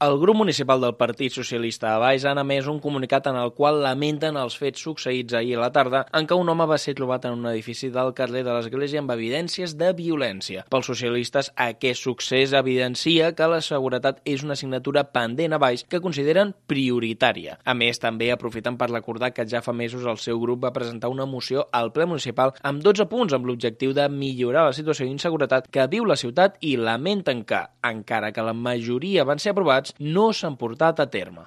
El grup municipal del Partit Socialista a Valls han emès un comunicat en el qual lamenten els fets succeïts ahir a la tarda en què un home va ser trobat en un edifici del carrer de l'Església amb evidències de violència. Pels socialistes, aquest succés evidencia que la seguretat és una assignatura pendent a Valls que consideren prioritària. A més, també aprofiten per recordar que ja fa mesos el seu grup va presentar una moció al ple municipal amb 12 punts amb l'objectiu de millorar la situació d'inseguretat que viu la ciutat i lamenten que, encara que la majoria van ser aprovats, no s'han portat a terme.